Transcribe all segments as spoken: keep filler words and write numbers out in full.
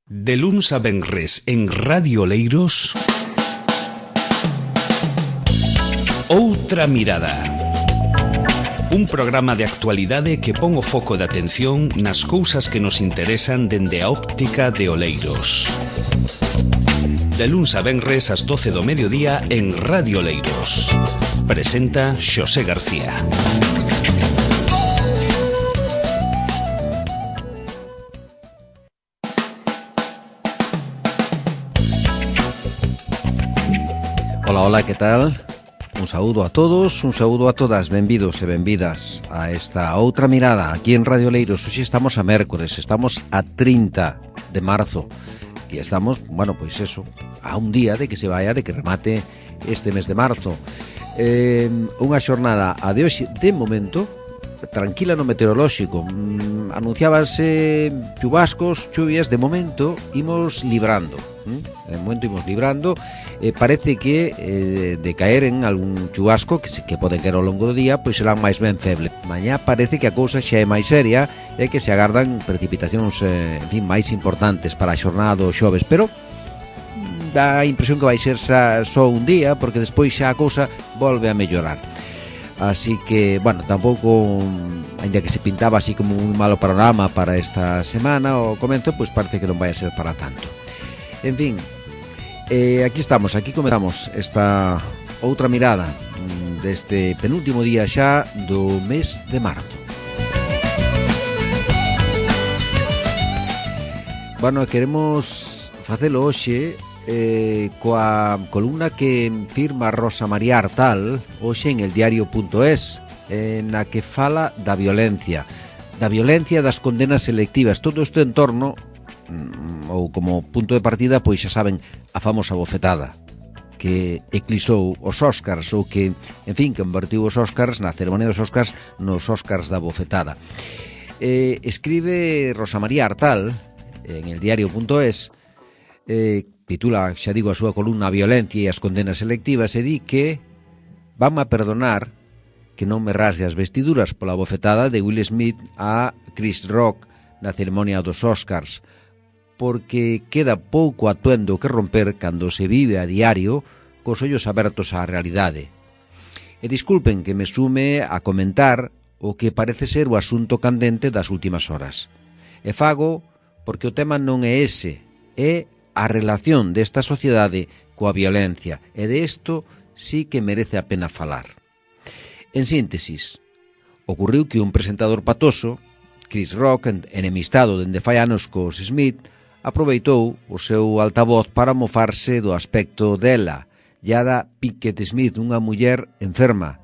De luns a venres en Radio Oleiros, Outra Mirada. Un programa de actualidade que pon o foco de atención nas cousas que nos interesan dende a óptica de Oleiros. De luns a venres ás doce do mediodía en Radio Oleiros. Presenta Xosé García. Ola, ola, que tal? Un saúdo a todos, un saúdo a todas, benvidos e benvidas a esta Outra Mirada aquí en Radio Oleiros. Hoxe estamos a mércores, estamos a trinta de marzo e estamos, bueno, pois eso, a un día de que se vaya, de que remate este mes de marzo. Eh, unha xornada a de hoxe, de momento, tranquila no meteorolóxico. Mm, anunciábanse chubascos, chuvias, de momento imos librando. De momento imos librando. Eh, parece que eh, de caer en algún chubasco que, que pode caer ao longo do día, pois serán máis ben feble. Mañá parece que a cousa xa é máis seria e que se agardan precipitacións eh, en fin, máis importantes para a xornada do xoves, pero dá a impresión que vai ser xa, só un día, porque despois xa a cousa volve a mellorar. Así que, bueno, tampouco, ainda que se pintaba así como un malo panorama para esta semana, o comento, pois parece que non vai a ser para tanto. En fin, eh, aquí estamos, aquí comenzamos esta outra mirada deste penúltimo día xa do mes de marzo. Bueno, queremos facelo hoxe eh, coa columna que firma Rosa María Artal hoxe en el diario punto es, eh, na que fala da violencia da violencia das condenas selectivas, todo isto en torno ou como punto de partida, pois xa saben, a famosa bofetada que eclipsou os Óscars, ou que, en fin, convertiu os Óscars na ceremonia dos Óscars nos Óscars da bofetada. Eh, escribe Rosa María Artal en el diario punto es, eh, titula, xa digo, a súa columna Violencia e as condenas selectivas, e di que van a perdonar que non me rasgue as vestiduras pola bofetada de Will Smith a Chris Rock na ceremonia dos Óscars, porque queda pouco atuendo que romper cando se vive a diario cos ollos abertos á realidade. E disculpen que me sume a comentar o que parece ser o asunto candente das últimas horas. E fago porque o tema non é ese, é a relación desta sociedade coa violencia, e de isto sí que merece a pena falar. En síntesis, ocurriu que un presentador patoso, Chris Rock, enemistado dende fai anos cos Smith, aproveitou o seu altavoz para mofarse do aspecto dela, Jada Pinkett Smith, unha muller enferma,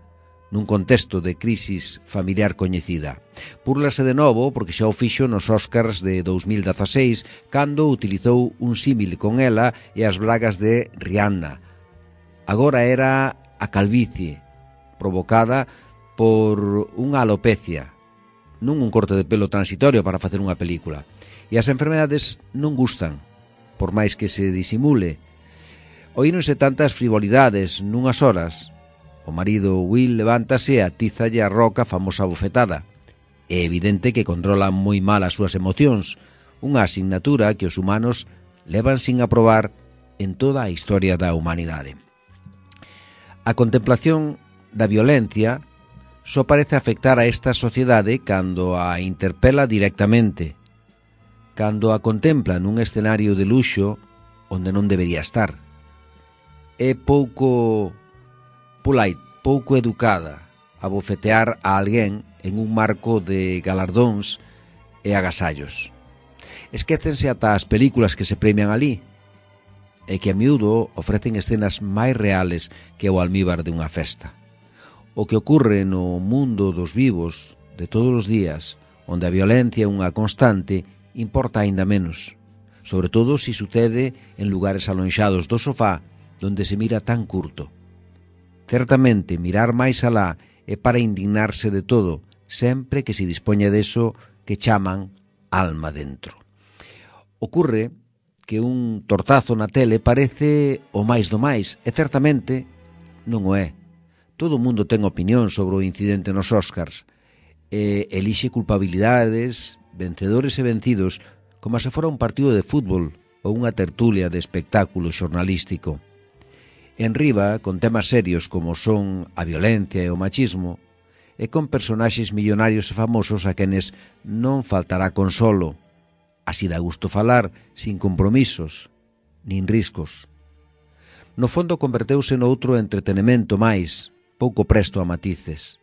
nun contexto de crisis familiar coñecida. Púrlase de novo porque xa o fixo nos Óscars de dous mil dezaseis, cando utilizou un símil con ela e as bragas de Rihanna. Agora era a calvicie, provocada por unha alopecia, non un corte de pelo transitorio para facer unha película. E as enfermedades non gustan, por máis que se disimule. Oíronse tantas frivolidades nunhas horas. O marido Will levántase e atízalle a Roca a famosa bofetada. É evidente que controlan moi mal as súas emocións, unha asignatura que os humanos levan sin aprobar en toda a historia da humanidade. A contemplación da violencia só parece afectar a esta sociedade cando a interpela directamente, cando a contempla nun escenario de luxo onde non debería estar. É pouco polite, pouco educada a bofetear a alguén en un marco de galardóns e agasallos. Esquécense ata as películas que se premian ali, e que a miúdo ofrecen escenas máis reales que o almíbar de unha festa. O que ocurre no mundo dos vivos de todos os días, onde a violencia é unha constante, importa aínda menos, sobre todo se sucede en lugares alonxados do sofá donde se mira tan curto. Certamente, mirar máis alá é para indignarse de todo, sempre que se dispoña deso que chaman alma dentro. Ocurre que un tortazo na tele parece o máis do máis, e certamente non o é. Todo o mundo ten opinión sobre o incidente nos Óscars, e elixe culpabilidades, vencedores e vencidos, como se fora un partido de fútbol ou unha tertulia de espectáculo xornalístico. En riba, con temas serios como son a violencia e o machismo, e con personaxes millonarios e famosos a quenes non faltará consolo. Así dá gusto falar, sin compromisos, nin riscos. No fondo converteuse noutro entretenimento máis, pouco presto a matices.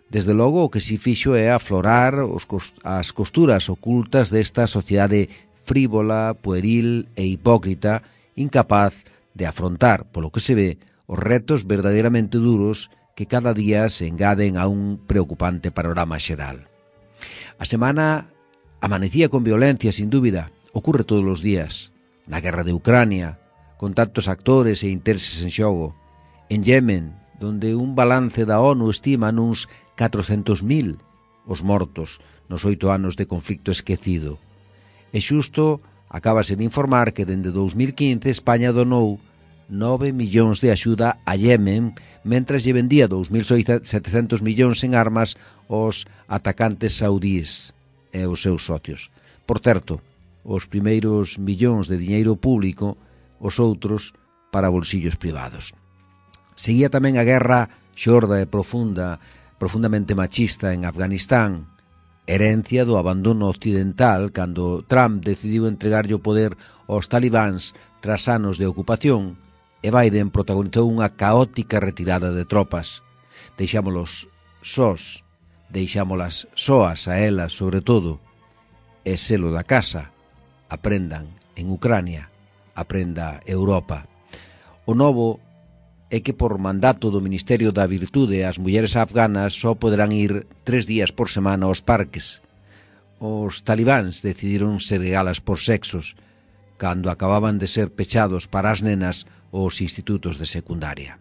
Desde logo o que si fixo é aflorar os cost- as costuras ocultas desta sociedade frívola, pueril e hipócrita, incapaz de afrontar, polo que se ve, os retos verdadeiramente duros que cada día se engaden a un preocupante panorama xeral. A semana amanecía con violencia, sin dúbida, ocurre todos os días. Na guerra de Ucrania, con tantos actores e intereses en xogo. En Yemen, donde un balance da ONU estima nuns catrocentos mil os mortos nos oito anos de conflicto esquecido. E xusto acabase de informar que dende dous mil quince España donou nove millóns de axuda a Yemen, mentras lle vendía dous mil setecentos millóns en armas aos atacantes saudíes e os seus socios. Por certo, os primeiros millóns de diñeiro público, os outros para bolsillos privados. Seguía tamén a guerra xorda e profunda, profundamente machista en Afganistán, herencia do abandono occidental cando Trump decidiu entregarlle o poder aos talibáns tras anos de ocupación e Biden protagonizou unha caótica retirada de tropas. Deixámolos sós, deixámolas soas a elas sobre todo, e selo da casa, aprendan en Ucrania, aprenda Europa. O novo é que por mandato do Ministerio da Virtude as mulleres afganas só poderán ir tres días por semana aos parques. Os talibáns decidiron segregalas por sexos, cando acababan de ser pechados para as nenas os institutos de secundaria.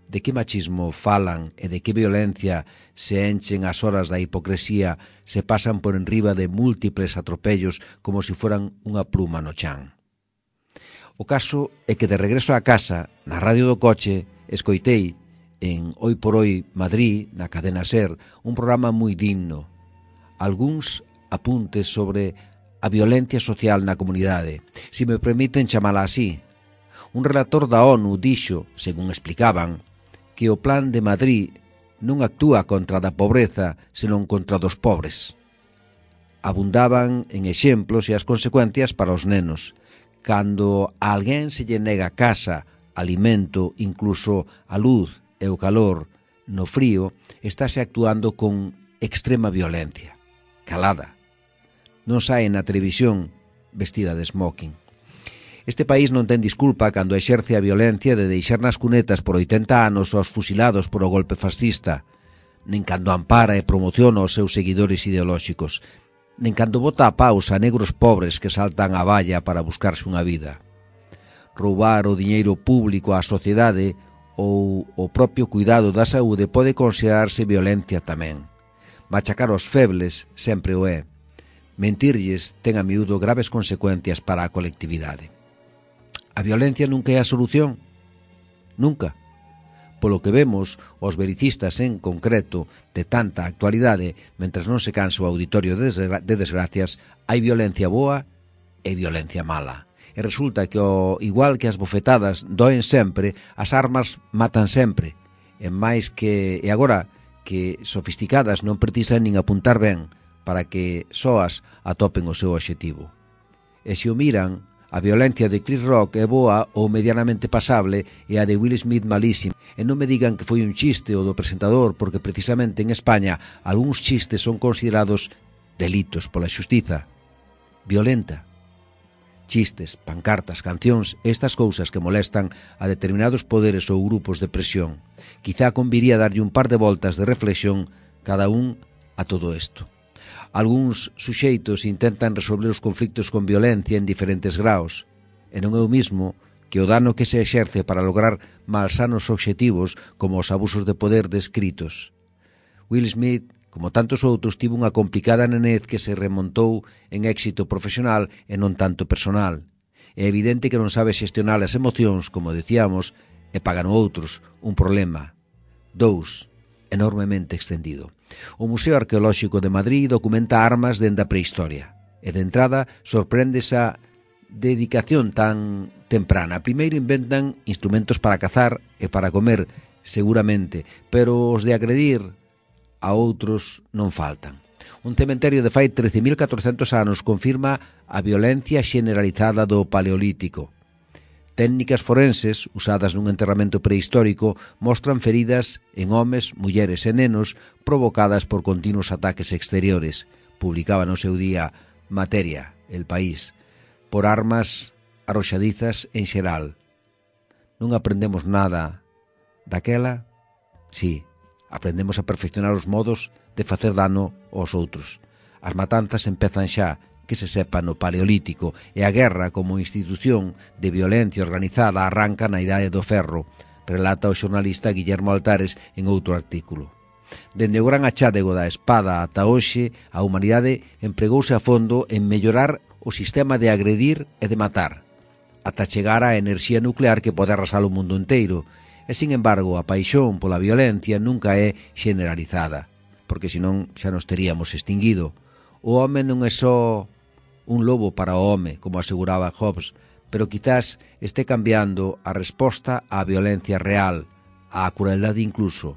De que machismo falan e de que violencia se enchen as horas da hipocresía, se pasan por enriba de múltiples atropellos como se foran unha pluma no chan. O caso é que de regreso á casa, na radio do coche, escoitei en Hoy por Hoy Madrid, na cadena SER, un programa moi digno. Algúns apuntes sobre a violencia social na comunidade, se me permiten chamala así. Un relator da ONU dixo, según explicaban, que o Plan de Madrid non actúa contra da pobreza, senón contra dos pobres. Abundaban en exemplos e as consecuencias para os nenos. Cando a alguén se lle nega casa, alimento, incluso a luz e o calor, no frío, estáse actuando con extrema violencia. Calada. Non sae na televisión vestida de smoking. Este país non ten disculpa cando exerce a violencia de deixar nas cunetas por oitenta anos aos fusilados por o golpe fascista, nen cando ampara e promociona os seus seguidores ideolóxicos, nen cando bota a paus a negros pobres que saltan a valla para buscarse unha vida. Roubar o diñeiro público á sociedade ou o propio cuidado da saúde pode considerarse violencia tamén. Machacar os febles sempre o é. Mentirlles ten a miúdo graves consecuencias para a colectividade. A violencia nunca é a solución. Nunca. Polo que vemos, os vericistas en concreto de tanta actualidade, mentras non se cansa o auditorio de desgracias, hai violencia boa e violencia mala. E resulta que, o, igual que as bofetadas doen sempre, as armas matan sempre. E máis que, e agora, que sofisticadas non precisan nin apuntar ben para que soas atopen o seu obxectivo. E se o miran, a violencia de Chris Rock é boa ou medianamente pasable e a de Will Smith malísima. E non me digan que foi un chiste o do presentador, porque precisamente en España algúns chistes son considerados delitos pola xustiza. Violenta. Chistes, pancartas, cancións, estas cousas que molestan a determinados poderes ou grupos de presión. Quizá conviría darlle un par de voltas de reflexión cada un a todo isto. Algúns suxeitos intentan resolver os conflictos con violencia en diferentes graos, e non é o mismo que o dano que se exerce para lograr malsanos obxectivos como os abusos de poder descritos. Will Smith, como tantos outros, tivo unha complicada nenez que se remontou en éxito profesional e non tanto personal. É evidente que non sabe xestionar as emocións, como decíamos, e pagan outros un problema. Dous, enormemente extendido. O Museo Arqueolóxico de Madrid documenta armas dende a prehistoria. E de entrada sorprende esa dedicación tan temprana. Primeiro inventan instrumentos para cazar e para comer, seguramente, pero os de agredir a outros non faltan. Un cementerio de fai trece mil catrocentos anos confirma a violencia xeneralizada do Paleolítico. Técnicas forenses, usadas nun enterramento prehistórico, mostran feridas en homes, mulleres e nenos provocadas por continuos ataques exteriores. Publicaba no seu día Materia, El País, por armas arroxadizas en xeral. Non aprendemos nada daquela? Sí, aprendemos a perfeccionar os modos de facer dano aos outros. As matanzas empezan xa, que se sepa, no Paleolítico, e a guerra como institución de violencia organizada arranca na Idade do Ferro, relata o xornalista Guillermo Altares en outro artículo. Dende o gran achádego da espada ata hoxe, a humanidade empregouse a fondo en mellorar o sistema de agredir e de matar, ata chegar á enerxía nuclear que pode arrasar o mundo inteiro. E, sin embargo, a paixón pola violencia nunca é generalizada, porque senón xa nos teríamos extinguido. O home non é só un lobo para o home, como aseguraba Hobbes, pero quizás este cambiando a resposta á violencia real, á crueldade incluso.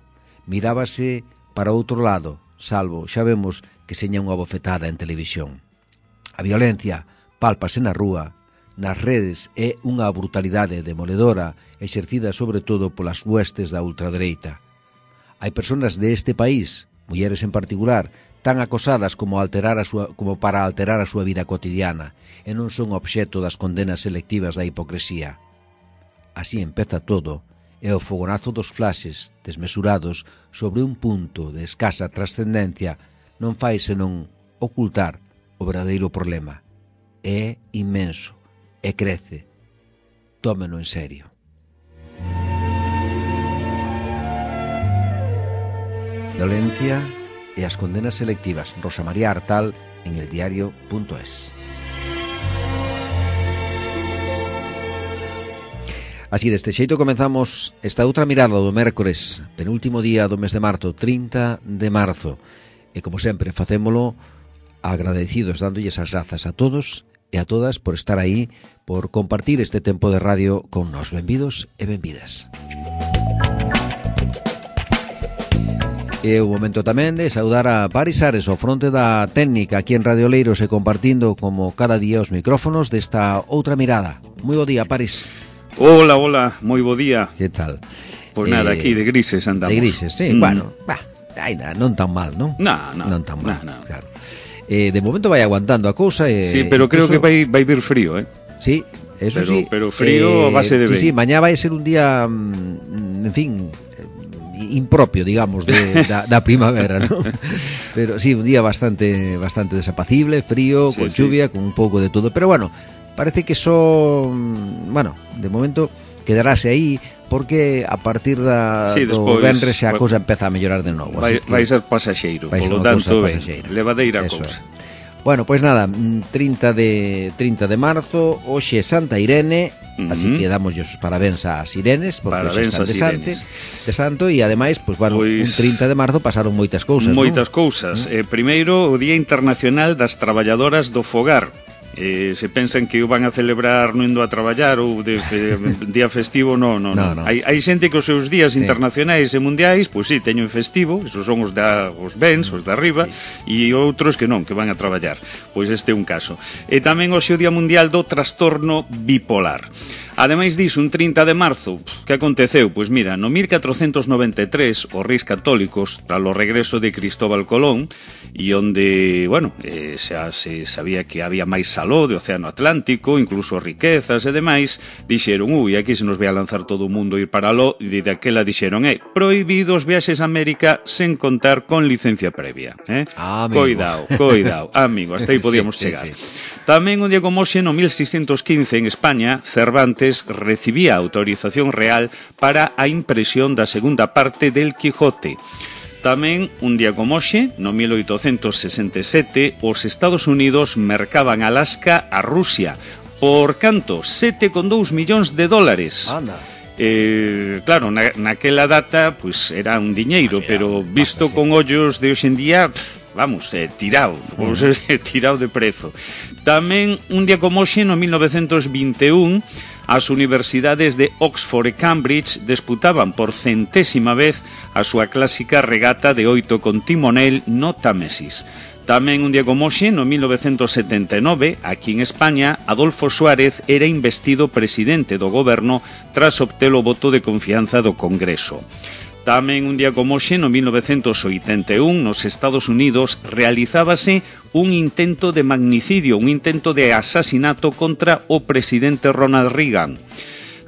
Mirábase para outro lado, salvo, xa vemos, que seña unha bofetada en televisión. A violencia pálpase na rúa, nas redes, é unha brutalidade demoledora exercida sobre todo polas huestes da ultradereita. Hai persoas deste país, mulleres en particular, tan acosadas como, alterar a súa, como para alterar a súa vida cotidiana e non son obxecto das condenas selectivas da hipocresía. Así empeza todo, e o fogonazo dos flashes desmesurados sobre un punto de escasa trascendencia non fai senón ocultar o verdadeiro problema. É inmenso e crece. Tómeno en serio. Violencia e as condenas selectivas. Rosa María Artal en el diario punto es. Así, deste xeito comenzamos esta outra mirada do mércores, penúltimo día do mes de marzo, trinta de marzo. E como sempre, facémolo agradecidos, dándolles as grazas a todos e a todas por estar aí, por compartir este tempo de radio con nós. Benvidos e benvidas. E o momento tamén de saudar a Paris Ares, ao fronte da técnica aquí en Radio Oleiros, e compartindo como cada día os micrófonos desta outra mirada. Moi bo día, Paris. Hola, hola, moi bo día. Que tal? Pois eh, nada, aquí de grises andamos. De grises, sí, mm. bueno, bah, ainda non tan mal, non? No, no, non tan mal, no, no. Claro. Eh, de momento vai aguantando a cousa e... Sí, pero creo que vai, vai vir frío, eh? Sí, eso pero, sí. Pero frío eh, a base de sí, ben. sí, mañá vai ser un día, en fin, impropio, digamos, de, da, da primavera, ¿no? Pero sí, un día bastante bastante desapacible, frío, sí, con lluvia, sí, con un pouco de todo, pero bueno, parece que son, bueno, de momento quedarase aí, porque a partir da sí, do venres xa a cousa empeza a mellorar de novo. Vai, que, vai ser pasaxeiro, polo tanto, ben, levadeira a cousa. Bueno, pois pues nada, trinta de marzo, hoxe é Santa Irene, uh-huh. Así que damos os parabéns ás Irenes, porque hoxe están de, sante, de santo, e ademais, pues, bueno, pues, un trinta de marzo pasaron moitas cousas, Moitas ¿no? cousas. ¿Mm? Eh, primeiro, o Día Internacional das Traballadoras do Fogar. Eh, se pensan que o van a celebrar non indo a traballar ou de, de, de día festivo, no, no, no. no. Hai, hai xente que os seus días sí. internacionais e mundiais, pois pues, sí, teñen festivo, esos son os da os bens, os da arriba, sí. E outros que non, que van a traballar. Pois este é un caso. E tamén hoxe o Día Mundial do Trastorno Bipolar. Ademais diso, un trinta de marzo, que aconteceu? Pois mira, no mil catrocentos noventa e tres, os reis católicos, tras o regreso de Cristóbal Colón, e onde, bueno, eh, xa se sabía que había máis saló de Océano Atlántico, incluso riquezas e demais, dixeron, ui, aquí se nos vai a lanzar todo o mundo ir para aló, e de aquela dixeron, eh, prohibidos viaxes a América sen contar con licencia previa, eh? Ah, coidao, coidao, amigo, hasta aí podíamos sí, chegar. Sí, sí. Tamén un día como hoxe, no mil seiscentos quince, en España, Cervantes recibía autorización real para a impresión da segunda parte del Quijote. Tamén, un día como hoxe, no mil oitocentos sesenta e sete, os Estados Unidos mercaban Alaska a Rusia por canto? sete coma dous millóns de dólares. Anda. Eh, claro, na, naquela data pues, era un diñeiro, pero visto con ollos de hoxe en día, vamos, eh, tirado, uh -huh. eh, tirado de prezo. Tamén, un día como hoxe, no mil novecentos vinte e un, as universidades de Oxford e Cambridge disputaban por centésima vez a súa clásica regata de oito con timonel no Támesis. Tamén un día como hoxe, no mil novecentos setenta e nove, aquí en España, Adolfo Suárez era investido presidente do goberno tras obter o voto de confianza do Congreso. Tamén un día como hoxe, no mil novecentos oitenta e un, nos Estados Unidos, realizábase un intento de magnicidio, un intento de asasinato contra o presidente Ronald Reagan.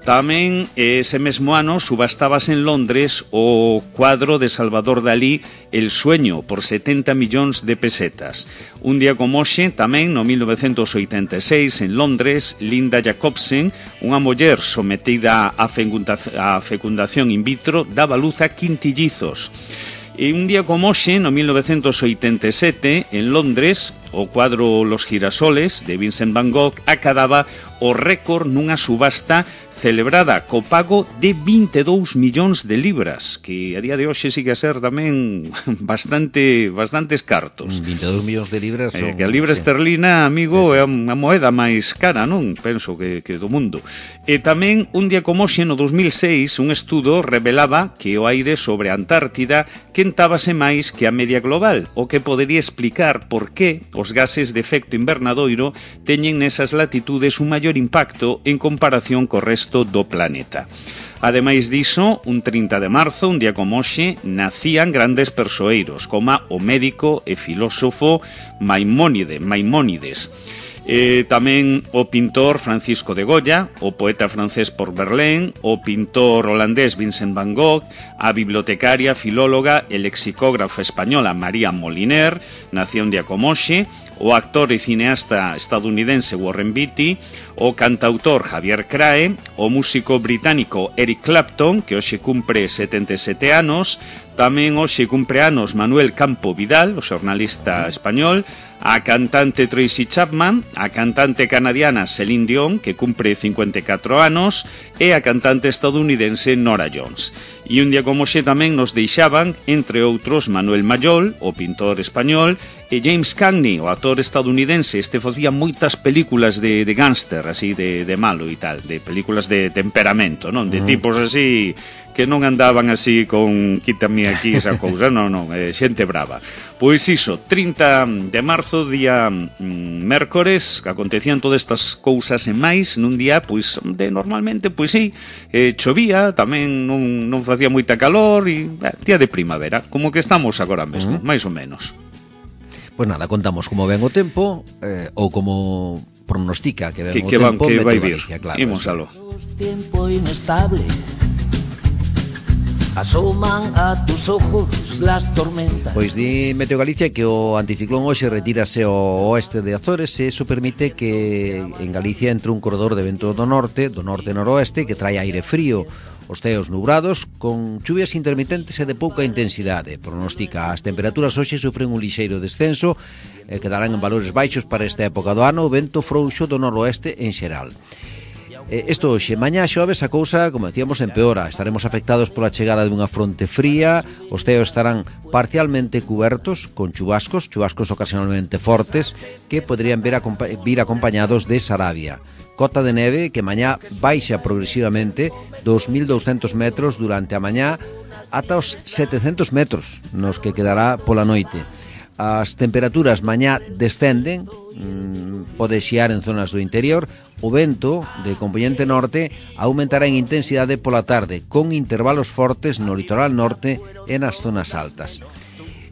Tamén ese mesmo ano subastábase en Londres o cuadro de Salvador Dalí El sueño por setenta millóns de pesetas. Un día como hoxe, tamén no mil novecentos oitenta e seis en Londres, Linda Jacobsen, unha muller sometida a fecundación in vitro, daba luz a quintillizos. E un día como hoxe, no mil novecentos oitenta e sete, en Londres, o cuadro Los girasoles de Vincent Van Gogh acadaba o récord nunha subasta celebrada co pago de vinte e dous millóns de libras, que a día de hoxe sigue a ser tamén bastante bastantes cartos. vinte e dous millóns de libras son... Eh, que a libra sí. esterlina, amigo, sí, sí. é a moeda máis cara, non? Penso que, que do mundo. E tamén, un día como hoxe, no dos mil seis, un estudo revelaba que o aire sobre a Antártida quentábase máis que a media global, o que podería explicar por que os gases de efecto invernadoiro teñen nesas latitudes un maior impacto en comparación co resto do planeta. Ademais diso, un trinta de marzo, un día como hoxe, nacían grandes persoeiros, como o médico e filósofo Maimónide, Maimónides. Eh, tamén o pintor Francisco de Goya, o poeta francés Paul Verlaine, o pintor holandés Vincent Van Gogh, a bibliotecaria, filóloga e lexicógrafa española María Moliner, nacía un día como hoxe, o actor e cineasta estadounidense Warren Beatty, o cantautor Javier Crae, o músico británico Eric Clapton, que hoxe cumpre setenta e sete anos, tamén hoxe cumpre anos Manuel Campo Vidal, o xornalista español, a cantante Tracy Chapman, a cantante canadiana Celine Dion, que cumpre cincuenta e catro anos, e a cantante estadounidense Norah Jones. E un día como hoxe tamén nos deixaban, entre outros, Manuel Mayol, o pintor español, e James Cagney, o actor estadounidense. Este facía moitas películas de, de gángster, así, de, de malo e tal, de películas de temperamento, non? De tipos así que non andaban así con quítame aquí esa cousa, non, non, eh, xente brava. Pois iso, trinta de marzo, día mm, mércores, acontecían todas estas cousas e máis nun día, pois, de normalmente, pois sí, eh, chovía, tamén non, non facía moita calor, e eh, día de primavera, como que estamos agora mesmo, uh -huh. máis ou menos. Pois nada, contamos como ven o tempo, eh, ou como pronostica que ven que, o que tempo, van, que vai vir, claro, imos alo. Tiempo inestable. Asoman a tus ojos las tormentas. Pois di Meteo Galicia que o anticiclón hoxe retírase ao oeste de Azores e iso permite que en Galicia entre un corredor de vento do norte, do norte-noroeste, que trae aire frío, os ceos nubrados, con chuvias intermitentes e de pouca intensidade. Pronostica as temperaturas hoxe sofren un lixeiro descenso e quedarán en valores baixos para esta época do ano, o vento frouxo do noroeste en xeral. Isto hoxe, mañá xoves a cousa, como decíamos, empeora. Estaremos afectados pola chegada dunha fronte fría, os ceos estarán parcialmente cubertos con chubascos, chubascos ocasionalmente fortes, que poderían vir, acompa vir acompañados de sarabia. Cota de neve que mañá baixa progresivamente dos mil douscentos metros durante a mañá ata os setecentos metros nos que quedará pola noite. As temperaturas mañá descenden, mmm, pode xiar en zonas do interior. O vento de componente norte aumentará en intensidade pola tarde, con intervalos fortes no litoral norte e nas zonas altas.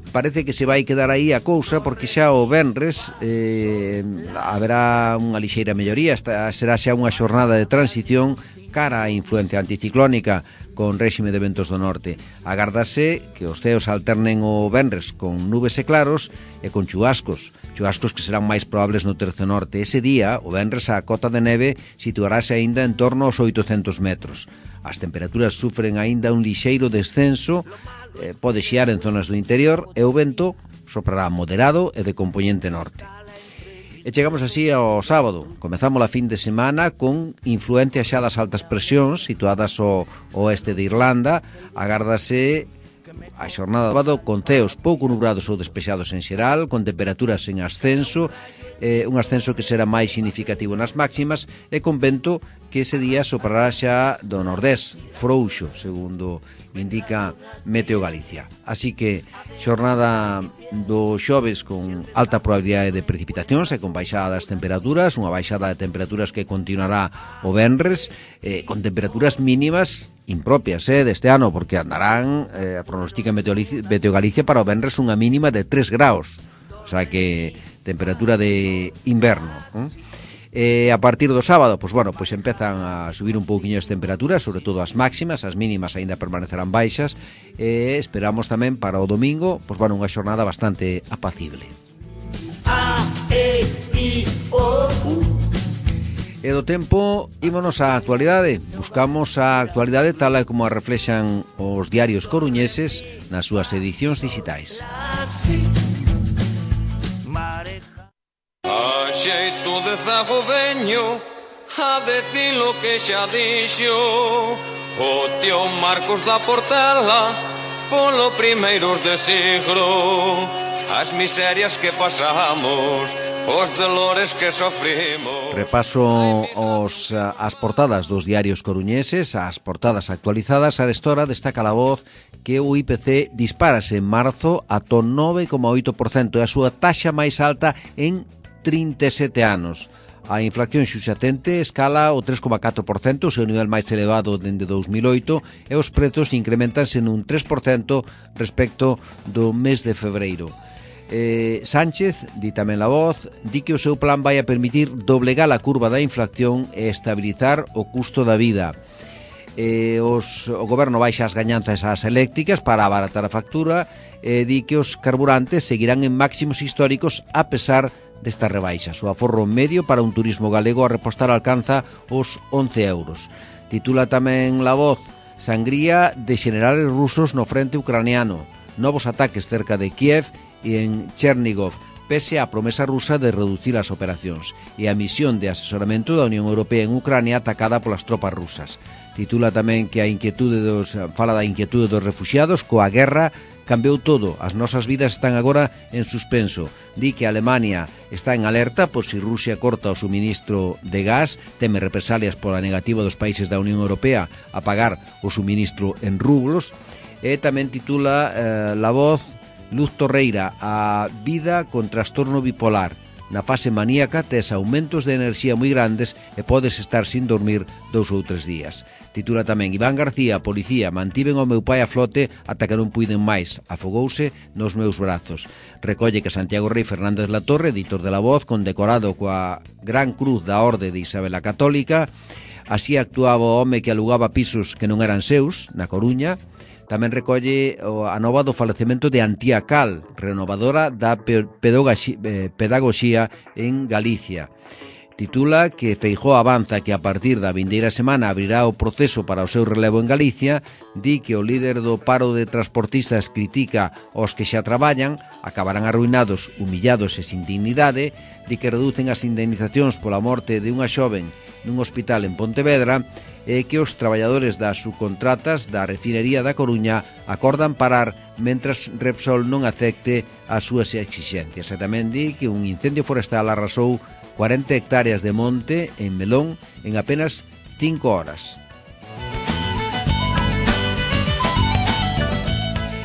Parece que se vai quedar aí a cousa, porque xa o venres eh, haberá unha lixeira melloría, esta será xa unha xornada de transición cara á influencia anticiclónica con réxime de ventos do norte. Agardase que os ceos alternen o venres con nubes e claros e con chubascos, chubascos que serán máis probables no tercio norte. Ese día, o venres, a cota de neve situarase aínda en torno aos oitocentos metros. As temperaturas sufren aínda un lixeiro descenso, eh, pode xiar en zonas do interior e o vento soprará moderado e de componente norte. E chegamos así ao sábado. Comezamos a fin de semana con influencia xa das altas presións situadas ao oeste de Irlanda. Agárdase a xornada do sábado con ceos pouco nubrados ou despexados en xeral, con temperaturas en ascenso, eh, un ascenso que será máis significativo nas máximas e con vento que ese día soprará xa do nordés, frouxo, segundo indica Meteo Galicia. Así que xornada do xoves con alta probabilidade de precipitacións e con baixada das temperaturas, unha baixada de temperaturas que continuará o venres, eh, con temperaturas mínimas impropias eh, deste ano, porque andarán, eh, pronostica Meteo Galicia para o venres unha mínima de tres graus, o sea que temperatura de inverno. ¿eh? E a partir do sábado, pois bueno, pois empezan a subir un pouquiño as temperaturas, sobre todo as máximas, as mínimas aínda permanecerán baixas, e esperamos tamén para o domingo, pois bueno, unha xornada bastante apacible. A, E, I, O, U. E do tempo, ímonos á actualidade. Buscamos a actualidade tal e como a reflexan os diarios coruñeses nas súas edicións digitais. A xeito de zago veño a decir lo que xa dixo o tío Marcos da Portela polo primeiros de siglo, as miserias que pasamos, os dolores que sofrimos. Repaso os, as portadas dos diarios coruñeses, as portadas actualizadas. Arestora destaca a voz que o I P C dispárase en marzo ata nove coma oito por cento, é a súa taxa máis alta en trinta e sete anos. A inflación subxacente escala o tres coma catro por cento, o seu nivel máis elevado dende dous mil oito, e os prezos incrementanse nun tres por cento respecto do mes de febreiro. Eh, Sánchez, di tamén a voz, di que o seu plan vai a permitir doblegar a curva da inflación e estabilizar o custo da vida. Eh, os, o goberno baixa as gañanzas ás eléctricas para abaratar a factura e di que os carburantes seguirán en máximos históricos a pesar destas rebaixas. O aforro medio para un turismo galego a repostar alcanza os once euros. Titula tamén La Voz: sangría de generales rusos no frente ucraniano, novos ataques cerca de Kiev e en Chernigov, pese á promesa rusa de reducir as operacións, e a misión de asesoramento da Unión Europea en Ucrania atacada polas tropas rusas. Titula tamén que a inquietude dos, fala da inquietude dos refuxiados coa guerra. Cambiou todo, as nosas vidas están agora en suspenso. Di que Alemania está en alerta por si Rusia corta o suministro de gas, teme represalias pola negativa dos países da Unión Europea a pagar o suministro en rublos. E tamén titula eh, La Voz: Luz Torreira, a vida con trastorno bipolar. Na fase maníaca tes aumentos de enerxía moi grandes e podes estar sin dormir dous ou tres días. Titula tamén Iván García, policía, mantiven o meu pai a flote ata que non puiden máis, afogouse nos meus brazos. Recolle que Santiago Rei Fernández Latorre, editor de La Voz, condecorado coa Gran Cruz da Orde de Isabel a Católica. Así actuaba o home que alugaba pisos que non eran seus, na Coruña. Tamén recolle a nova do falecemento de Antía Cal, renovadora da pedagogía en Galicia. Titula que Feijóo avanza que a partir da vindeira semana abrirá o proceso para o seu relevo en Galicia. Di que o líder do paro de transportistas critica aos que xa traballan, acabarán arruinados, humillados e sin dignidade. Di que reducen as indemnizacións pola morte de unha xoven nun hospital en Pontevedra, e que os traballadores das subcontratas da refinería da Coruña acordan parar mentras Repsol non acepte as súas exixencias. E tamén di que un incendio forestal arrasou cuarenta hectáreas de monte en Melón en apenas cinco horas.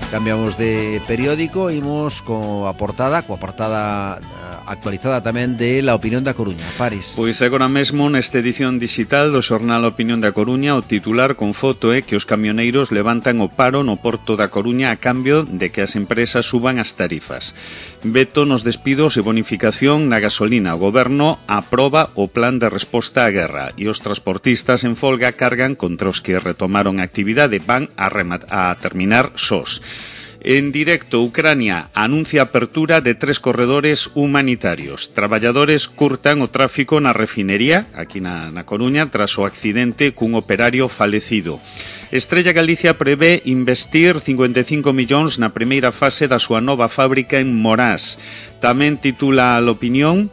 Cambiamos de periódico, imos coa portada, coa portada actualizada tamén de La Opinión da Coruña. Paris. Pois agora mesmo nesta edición digital do xornal A Opinión da Coruña o titular con foto é que os camioneiros levantan o paro no porto da Coruña a cambio de que as empresas suban as tarifas. Veto nos despidos e bonificación na gasolina. O goberno aproba o plan de resposta á guerra e os transportistas en folga cargan contra os que retomaron a actividade, van a, a terminar sós. En directo, Ucrania anuncia a apertura de tres corredores humanitarios. Traballadores curtan o tráfico na refinería, aquí na, na Coruña, tras o accidente cun operario falecido. Estrella Galicia prevé investir cincuenta e cinco millóns na primeira fase da súa nova fábrica en Morás. Tamén titula a Opinión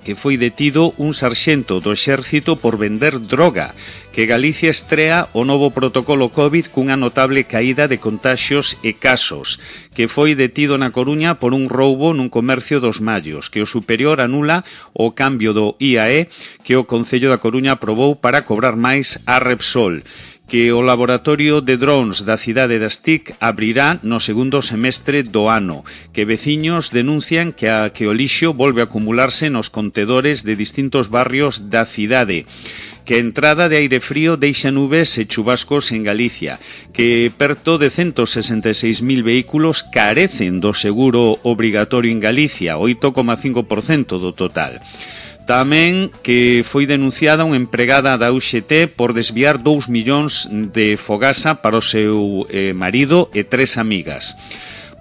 que foi detido un sarxento do exército por vender droga, que Galicia estrea o novo protocolo COVID cunha notable caída de contaxios e casos, que foi detido na Coruña por un roubo nun comercio dos Mallos, que o superior anula o cambio do I A E que o Concello da Coruña aprobou para cobrar máis a Repsol, que o laboratorio de drones da cidade das T I C abrirá no segundo semestre do ano, que veciños denuncian que, a, que o lixo volve a acumularse nos contedores de distintos barrios da cidade, que a entrada de aire frío deixa nubes e chubascos en Galicia, que perto de ciento sesenta e seis mil vehículos carecen do seguro obrigatorio en Galicia, oito coma cinco por cento do total. Tamén que foi denunciada unha empregada da U X T por desviar dous millóns de fogasa para o seu eh, marido e tres amigas.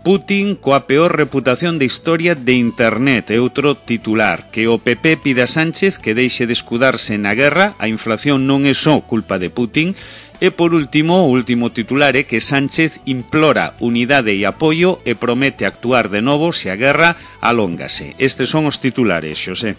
Putin coa peor reputación de historia de Internet, é outro titular, que o P P pide a Sánchez que deixe de escudarse na guerra, a inflación non é só culpa de Putin. E por último, o último titular é que Sánchez implora unidade e apoio e promete actuar de novo se a guerra alóngase. Estes son os titulares, Xosé.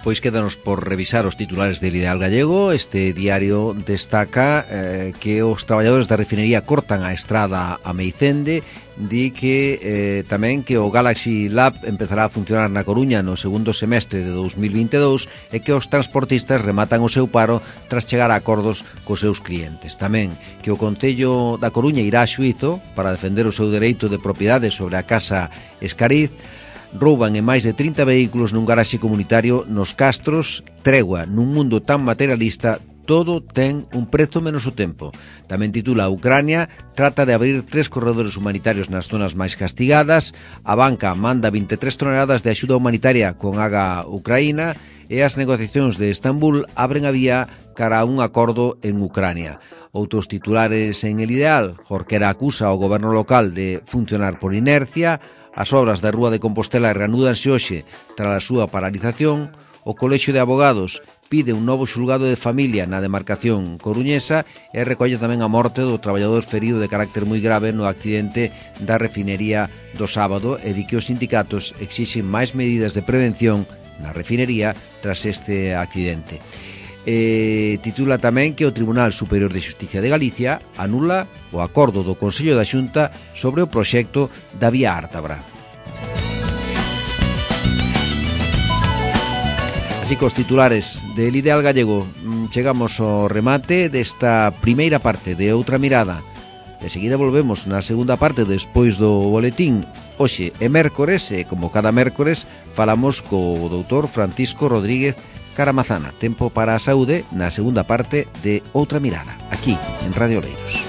Pois quédanos por revisar os titulares del Ideal Gallego. Este diario destaca eh, que os traballadores da refinería cortan a estrada a Meicende. Di que eh, tamén que o Galaxy Lab empezará a funcionar na Coruña no segundo semestre de dos mil vinte e dous e que os transportistas rematan o seu paro tras chegar a acordos cos seus clientes. Tamén que o Concello da Coruña irá a xuízo para defender o seu dereito de propiedade sobre a casa Escariz. Rouban en máis de trinta vehículos nun garaxe comunitario nos Castros. Tregua nun mundo tan materialista, todo ten un prezo menos o tempo. Tamén titula Ucrania trata de abrir tres corredores humanitarios nas zonas máis castigadas. A banca manda vinte e tres toneladas de axuda humanitaria con Aga Ucraína e as negociacións de Estambul abren a vía cara a un acordo en Ucrania. Outros titulares en El Ideal. Jorquera acusa ao goberno local de funcionar por inercia. As obras da Rúa de Compostela reanúdanse hoxe tras a súa paralización. O Colexio de Abogados pide un novo xulgado de familia na demarcación coruñesa e recolle tamén a morte do traballador ferido de carácter moi grave no accidente da refinería do sábado e di que os sindicatos exixen máis medidas de prevención na refinería tras este accidente. E titula tamén que o Tribunal Superior de Xusticia de Galicia anula o acordo do Consello da Xunta sobre o proxecto da Vía Ártabra. Así que os titulares del Ideal Gallego, chegamos ao remate desta primeira parte de Outra Mirada. De seguida volvemos na segunda parte despois do boletín. Hoxe é mércores e, como cada mércores, falamos co doutor Francisco Rodríguez Caramazana. Tempo para a saúde na segunda parte de Outra Mirada, aquí en Radio Oleiros.